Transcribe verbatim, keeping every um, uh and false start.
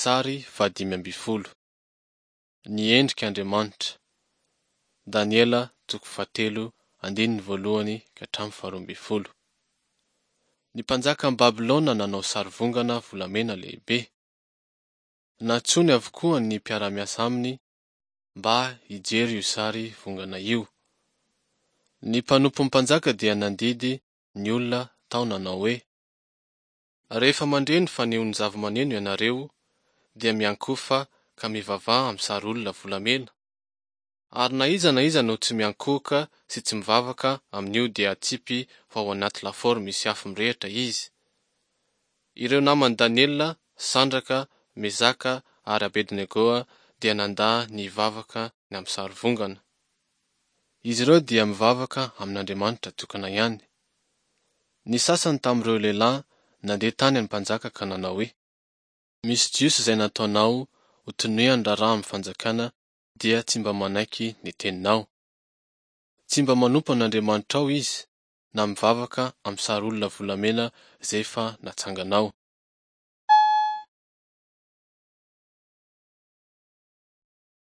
Sary fahadimy ambin'ny folo. Ny endrik'Andriamanitra. Daniela toko fahatelo andininy voalohany ka hatramin'ny faharoa ambin'ny folo. Ny mpanjakan'i Babylona nanao sarivongana volamena lehibe. Nantsoiny avokoa ny mpiara-miasa aminy mba hijery io sary vongana io. Ny mpanompon'ny mpanjaka dia nandidy ny olona tao nanao hoe: Rehefa mandre ny fanehoan'ny zava-maneno ianareo, dia miankohofa ka mivavaha amin'ny sary olona volamena. Ary na iza na iza no tsy miankohoka sy tsy mivavaka amin'io dia atsipy ho ao anaty lafaoro misy afo mirehitra izy. Ireo naman'i Daniela, Sandraka, Mesaka ary Abednego dia nandà ny hivavaka ny amin'ny sarivongana. Izy ireo dia mivavaka amin'Andriamanitra tokana ihany. Ny sasany tamin'ireo lehilahy nandeha tany amin'ny mpanjaka ka nanao hoe: Misy Jiosy izay nataonao ho tonian'ny raharaha amin'ny fanjakana dia tsy mba manaiky ny teninao. Tsy mba manompo an'Andriamanitrao izy, na mivavaka amin'ny sary olona volamena izay efa natsanganao.